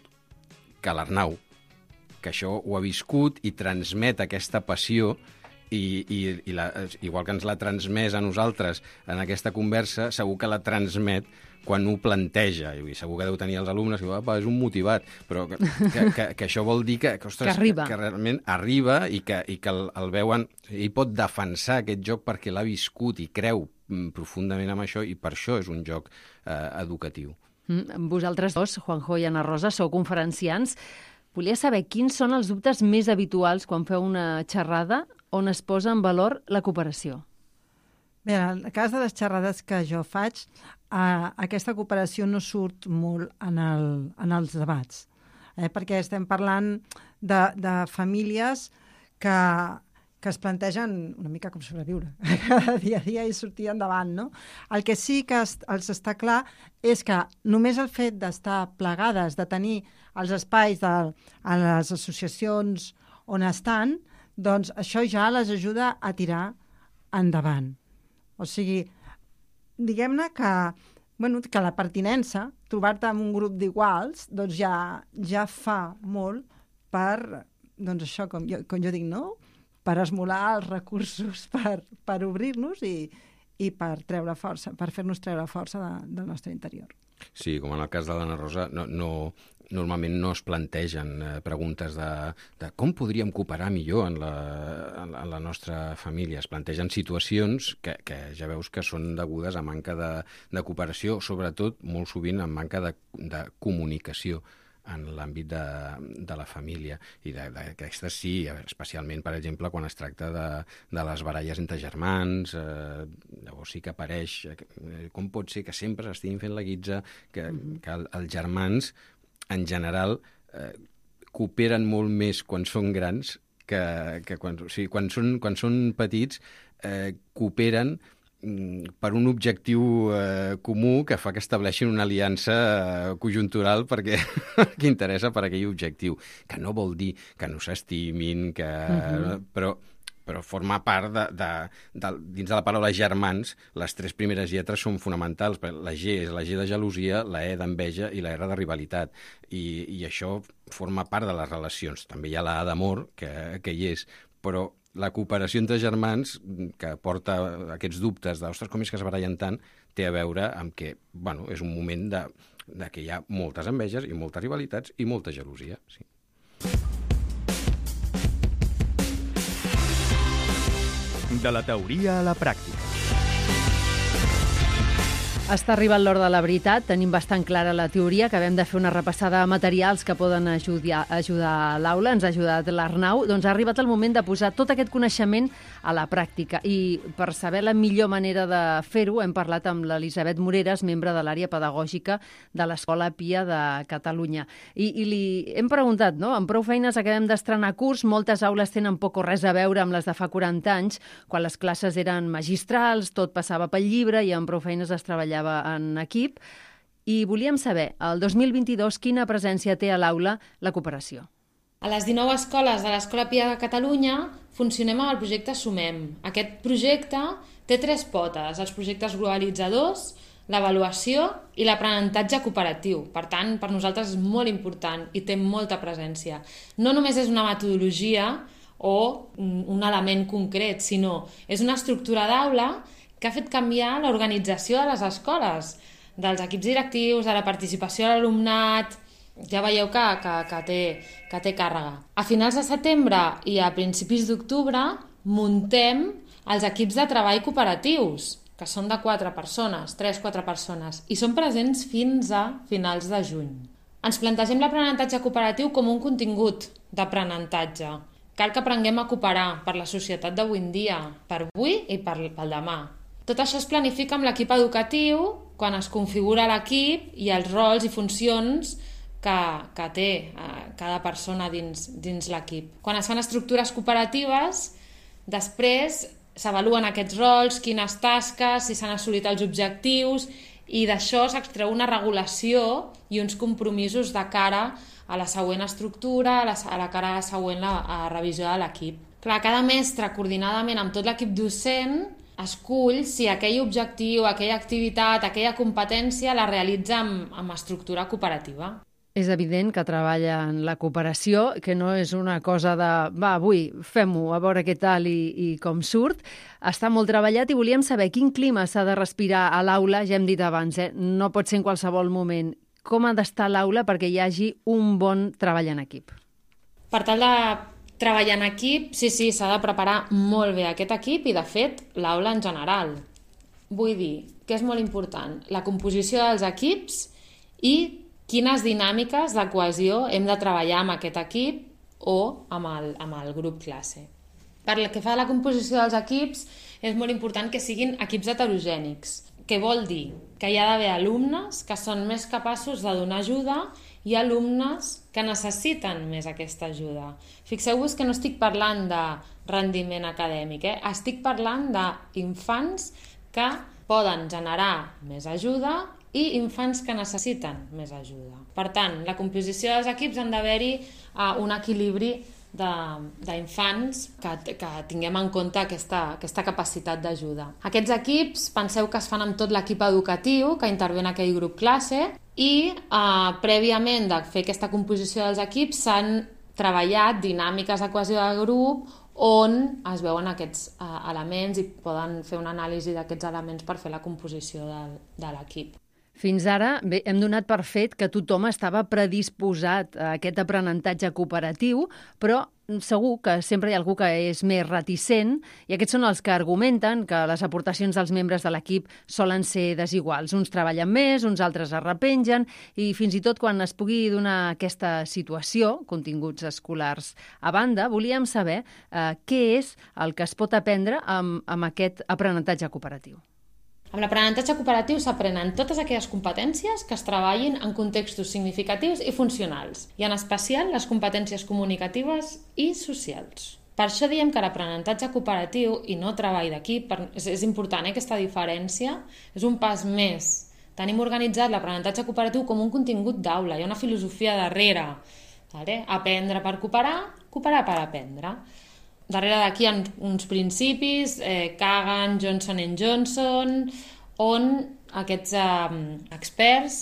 que l'Arnau, que això ho ha viscut i transmet aquesta passió i igual que ens l'ha transmès a nosaltres en aquesta conversa, segur que la transmet quan ho planteja, i segur que deu tenir els alumnes que és un motivat, però que això vol dir que realment arriba i que el veuen, ell pot defensar aquest joc perquè l'ha viscut i creu profundament en això, i per això és un joc educatiu. Vosaltres dos, Juanjo i Anna Rosa, sou conferenciants. Volia saber quins són els dubtes més habituals quan feu una xerrada on es posa en valor la cooperació. Bé, en el cas de les xerrades que jo faig, aquesta cooperació no surt molt en els debats, perquè estem parlant de famílies que es plantegen una mica com sobreviure cada dia a dia i sortir endavant, no? El que sí que els està clar és que només el fet d'estar plegades, de tenir els espais a les associacions on estan, doncs això ja les ajuda a tirar endavant. O sigui, diguem-ne que la pertinença, trobar-te en un grup d'iguals, doncs ja fa molt per, doncs això, com jo dic, no? per esmolar els recursos per obrir-nos i per treure força, per fer-nos treure força del nostre interior. Sí, com en el cas de l'Anna Rosa, normalment no es plantegen preguntes de com podríem cooperar millor en la nostra família. Es plantegen situacions que ja veus que són degudes a manca de cooperació, sobretot molt sovint en manca de comunicació en l'àmbit de la família. I d'aquestes sí, especialment, per exemple, quan es tracta de les baralles entre germans, llavors sí que apareix com pot ser que sempre s'estiguin fent la guitza, que els germans, en general, cooperen molt més quan són grans que quan són petits, cooperen per un objectiu comú que fa que estableixin una aliança conjuntural perquè interessa per aquell objectiu, que no vol dir que no s'estimin, però forma part dins de la paraula germans, les 3 primeres lletres són fonamentals. La G és la G de gelosia, la E d'enveja i la R de rivalitat. I això forma part de les relacions. També hi ha la A d'amor, que hi és, però la cooperació entre germans, que porta aquests dubtes de, ostres, com és que es barallen tant, té a veure amb que, és un moment de que hi ha moltes enveges i moltes rivalitats i molta gelosia, sí. De la teoria a la pràctica. Està arribant l'hora de la veritat, tenim bastant clara la teoria, acabem de fer una repassada de materials que poden ajudar a l'aula, ens ha ajudat l'Arnau, doncs ha arribat el moment de posar tot aquest coneixement a la pràctica. I per saber la millor manera de fer-ho hem parlat amb l'Elisabet Moreres, membre de l'àrea pedagògica de l'Escola Pia de Catalunya. I li hem preguntat, no? Amb prou feines acabem d'estrenar curs, moltes aules tenen poc o res a veure amb les de fa 40 anys, quan les classes eren magistrals, tot passava pel llibre i amb prou feines es treballava en equip, i volíem saber, el 2022, quina presència té a l'aula la cooperació. A les 19 escoles de l'Escola Pia de Catalunya funcionem amb el projecte Sumem. Aquest projecte té 3 potes, els projectes globalitzadors, l'avaluació i l'aprenentatge cooperatiu. Per tant, per nosaltres és molt important i té molta presència. No només és una metodologia o un element concret, sinó és una estructura d'aula que ha fet canviar l'organització de les escoles, dels equips directius, de la participació de l'alumnat. Ja veieu que té càrrega. A finals de setembre i a principis d'octubre muntem els equips de treball cooperatius, que són de 4 persones, 3-4 persones, i són presents fins a finals de juny. Ens plantegem l'aprenentatge cooperatiu com un contingut d'aprenentatge. Cal que aprenguem a cooperar per la societat d'avui en dia, per avui i pel demà. Tot això es planifica amb l'equip educatiu quan es configura l'equip i els rols i funcions que té cada persona dins l'equip. Quan es fan estructures cooperatives, després s'avaluen aquests rols, quines tasques, si s'han assolit els objectius, i d'això s'extreu una regulació i uns compromisos de cara a la següent estructura, a la cara següent a revisió de l'equip. Clar, cada mestre, coordinadament amb tot l'equip docent, escull si aquell objectiu, aquella activitat, aquella competència la realitza amb estructura cooperativa. És evident que treballa en la cooperació, que no és una cosa de avui fem-ho, a veure què tal i com surt. Està molt treballat i volíem saber quin clima s'ha de respirar a l'aula, ja hem dit abans, no pot ser en qualsevol moment. Com ha d'estar l'aula perquè hi hagi un bon treball en equip? Per tal de treballar en equip, sí, s'ha de preparar molt bé aquest equip i, de fet, l'aula en general. Vull dir que és molt important la composició dels equips i quines dinàmiques de cohesió hem de treballar amb aquest equip o amb el grup classe. Per el que fa a la composició dels equips, és molt important que siguin equips heterogènics. Què vol dir? Que hi ha d'haver alumnes que són més capaços de donar ajuda i alumnes que necessiten més aquesta ajuda. Fixeu-vos que no estic parlant de rendiment acadèmic, estic parlant d'infants que poden generar més ajuda i infants que necessiten més ajuda. Per tant, la composició dels equips han d'haver-hi un equilibri d'infants que tinguem en compte aquesta capacitat d'ajuda. Aquests equips, penseu que es fan amb tot l'equip educatiu que intervé en aquell grup classe i prèviament de fer aquesta composició dels equips s'han treballat dinàmiques de cohesió de grup on es veuen aquests elements i poden fer una anàlisi d'aquests elements per fer la composició de l'equip. Fins ara hem donat per fet que tothom estava predisposat a aquest aprenentatge cooperatiu, però segur que sempre hi ha algú que és més reticent i aquests són els que argumenten que les aportacions dels membres de l'equip solen ser desiguals. Uns treballen més, uns altres es repengen i fins i tot quan es pugui donar aquesta situació, continguts escolars a banda, volíem saber què és el que es pot aprendre amb aquest aprenentatge cooperatiu. Amb l'aprenentatge cooperatiu s'aprenen totes aquelles competències que es treballin en contextos significatius i funcionals, i en especial les competències comunicatives i socials. Per això diem que l'aprenentatge cooperatiu i no treball d'equip, és important aquesta diferència, és un pas més. Tenim organitzat l'aprenentatge cooperatiu com un contingut d'aula, hi ha una filosofia darrere. Aprendre per cooperar, cooperar per aprendre. Darrere d'aquí hi ha uns principis, Kagan, Johnson & Johnson, on aquests experts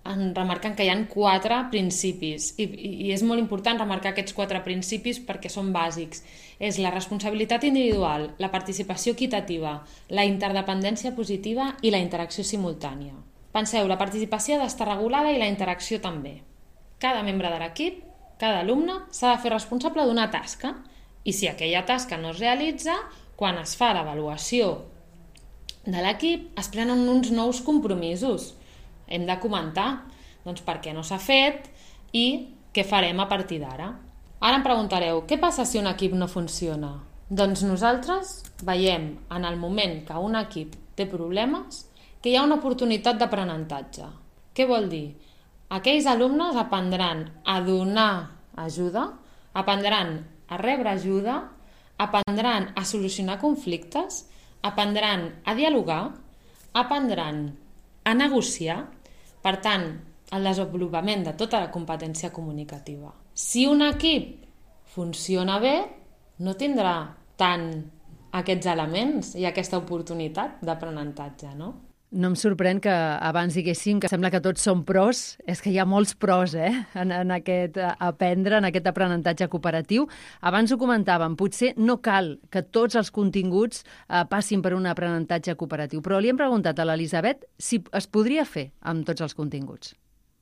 remarquen que hi ha 4 principis. I és molt important remarcar aquests 4 principis perquè són bàsics. És la responsabilitat individual, la participació equitativa, la interdependència positiva i la interacció simultània. Penseu, la participació ha d'estar regulada i la interacció també. Cada membre de l'equip, cada alumne, s'ha de fer responsable d'una tasca. I si aquella tasca no es realitza, quan es fa l'avaluació de l'equip, es prenen uns nous compromisos. Hem de comentar per què no s'ha fet i què farem a partir d'ara. Ara em preguntareu, què passa si un equip no funciona? Doncs nosaltres veiem en el moment que un equip té problemes que hi ha una oportunitat d'aprenentatge. Què vol dir? Aquells alumnes aprendran a donar ajuda, aprendran a rebre ajuda, aprendran a solucionar conflictes, aprendran a dialogar, aprendran a negociar, per tant, el desenvolupament de tota la competència comunicativa. Si un equip funciona bé, no tindrà tant aquests elements i aquesta oportunitat d'aprenentatge, no? No em sorprèn que abans diguéssim que sembla que tots som pros, és que hi ha molts pros en aquest aprendre, en aquest aprenentatge cooperatiu. Abans ho comentàvem, potser no cal que tots els continguts passin per un aprenentatge cooperatiu, però li hem preguntat a l'Elisabet si es podria fer amb tots els continguts.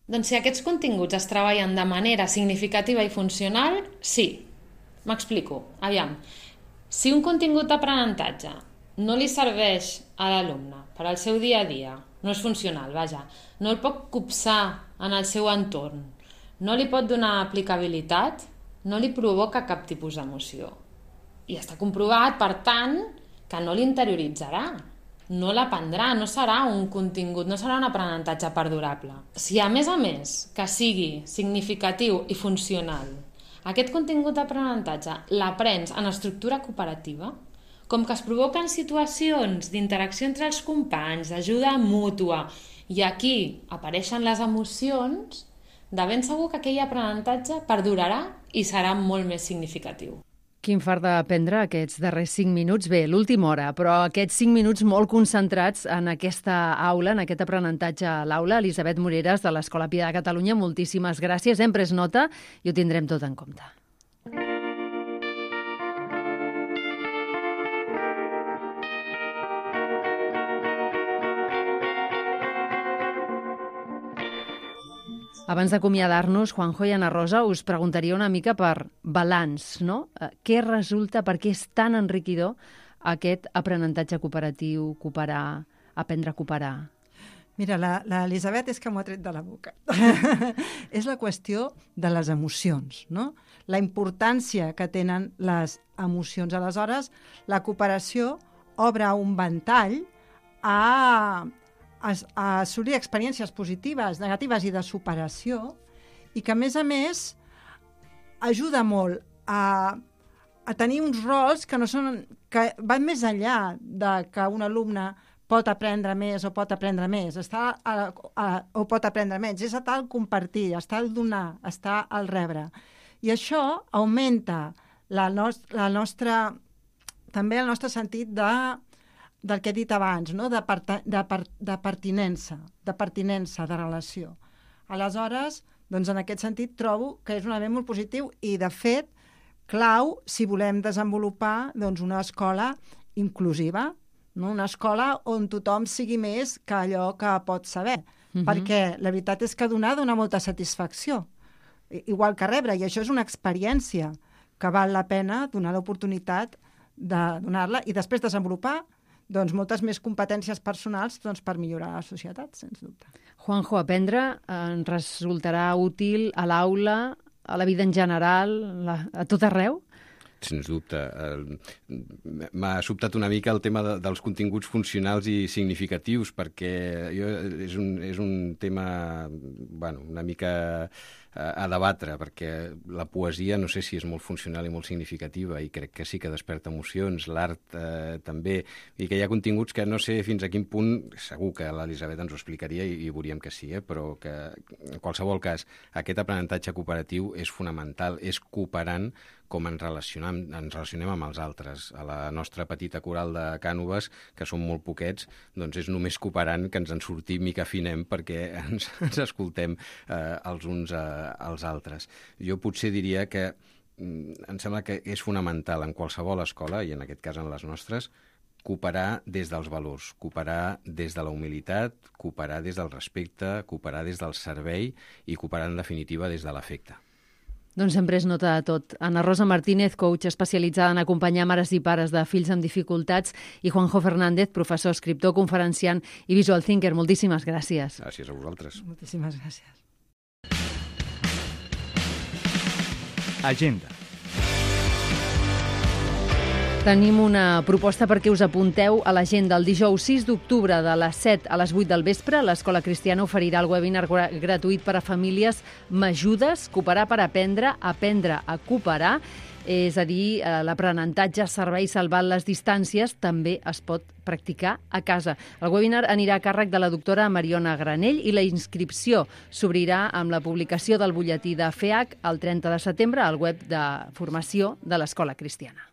Doncs si aquests continguts es treballen de manera significativa i funcional, sí. M'explico. Aviam, si un contingut d'aprenentatge no li serveix a l'alumne per al seu dia a dia, no és funcional, vaja, no el pot copsar en el seu entorn, no li pot donar aplicabilitat, no li provoca cap tipus d'emoció. I està comprovat, per tant, que no l'interioritzarà, no l'aprendrà, no serà un contingut, no serà un aprenentatge perdurable. Si a més, que sigui significatiu i funcional, aquest contingut d'aprenentatge l'aprens en estructura cooperativa, com que es provoquen situacions d'interacció entre els companys, d'ajuda mútua, i aquí apareixen les emocions, de ben segur que aquell aprenentatge perdurarà i serà molt més significatiu. Quin fart d'aprendre aquests darrers 5 minuts. Bé, l'última hora, però aquests 5 minuts molt concentrats en aquesta aula, en aquest aprenentatge a l'aula. Elisabet Moreres, de l'Escola Pia de Catalunya, moltíssimes gràcies. Hem pres nota i ho tindrem tot en compte. Abans d'acomiadar-nos, Juanjo i Ana Rosa, us preguntaria una mica per balanç, no? Què resulta, per què és tan enriquidor aquest aprenentatge cooperatiu, cooperar, aprendre a cooperar? Mira, l'Elisabet és que m'ho ha tret de la boca. És la qüestió de les emocions, no? La importància que tenen les emocions. Aleshores, la cooperació obre un ventall a assolir experiències positives, negatives i de superació, i que, a més, ajuda molt a tenir uns rols que van més enllà de que un alumne pot aprendre més o pot aprendre més, o pot aprendre menys. És estar al compartir, estar al donar, estar al rebre. I això augmenta també el nostre sentit del que he dit abans, no? de pertinença, de relació. Aleshores, doncs en aquest sentit trobo que és un element molt positiu i, de fet, clau si volem desenvolupar doncs, una escola inclusiva, no? Una escola on tothom sigui més que allò que pot saber. Perquè la veritat és que donar dona molta satisfacció, igual que rebre, i això és una experiència que val la pena donar l'oportunitat de donar-la i després desenvolupar doncs, moltes més competències personals doncs, per millorar la societat, sens dubte. Juanjo, aprendre ens resultarà útil a l'aula, a la vida en general, a tot arreu? Sens dubte. M'ha sobtat una mica el tema dels continguts funcionals i significatius, perquè és un tema una mica a debatre, perquè la poesia no sé si és molt funcional i molt significativa, i crec que sí que desperta emocions, l'art també, i que hi ha continguts que no sé fins a quin punt, segur que l'Elisabet ens ho explicaria i veuríem que sí, però que en qualsevol cas aquest aprenentatge cooperatiu és fonamental, és cooperant com ens relacionem amb els altres. A la nostra petita coral de Cànoves, que som molt poquets, doncs és només cooperant que ens en sortim i que afinem perquè ens escoltem els uns als altres. Jo potser diria que em sembla que és fonamental en qualsevol escola, i en aquest cas en les nostres, cooperar des dels valors, cooperar des de la humilitat, cooperar des del respecte, cooperar des del servei i cooperar, en definitiva, des de l'afecte. Doncs sempre és nota de tot. Ana Rosa Martínez, coach especialitzada en acompanyar mares i pares de fills amb dificultats, i Juanjo Fernández, professor, escriptor, conferenciant i visual thinker. Moltíssimes gràcies. Gràcies a vosaltres. Moltíssimes gràcies. Agenda. Tenim una proposta perquè us apunteu a l'agenda. El dijous 6 d'octubre de les 7 a les 8 del vespre, l'Escola Cristiana oferirà el webinar gratuït per a famílies M'ajudes? Cooperar per aprendre a cooperar. És a dir, l'aprenentatge servei salvant les distàncies també es pot practicar a casa. El webinar anirà a càrrec de la doctora Mariona Granell i la inscripció s'obrirà amb la publicació del butlletí de FEAC el 30 de setembre al web de formació de l'Escola Cristiana.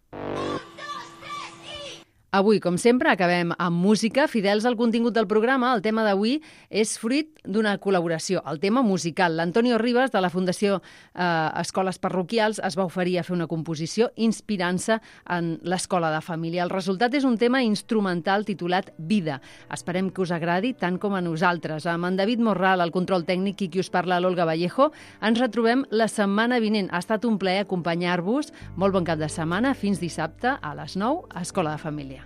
Avui, com sempre, acabem amb música. Fidels al contingut del programa, el tema d'avui és fruit d'una col·laboració, el tema musical. L'Antonio Ribas, de la Fundació Escoles Parroquials, es va oferir a fer una composició inspirant-se en l'escola de família. El resultat és un tema instrumental titulat Vida. Esperem que us agradi tant com a nosaltres. Amb en David Morral, el control tècnic, i qui us parla, l'Olga Vallejo, ens retrobem la setmana vinent. Ha estat un plaer acompanyar-vos. Molt bon cap de setmana. Fins dissabte a les 9 a Escola de Família.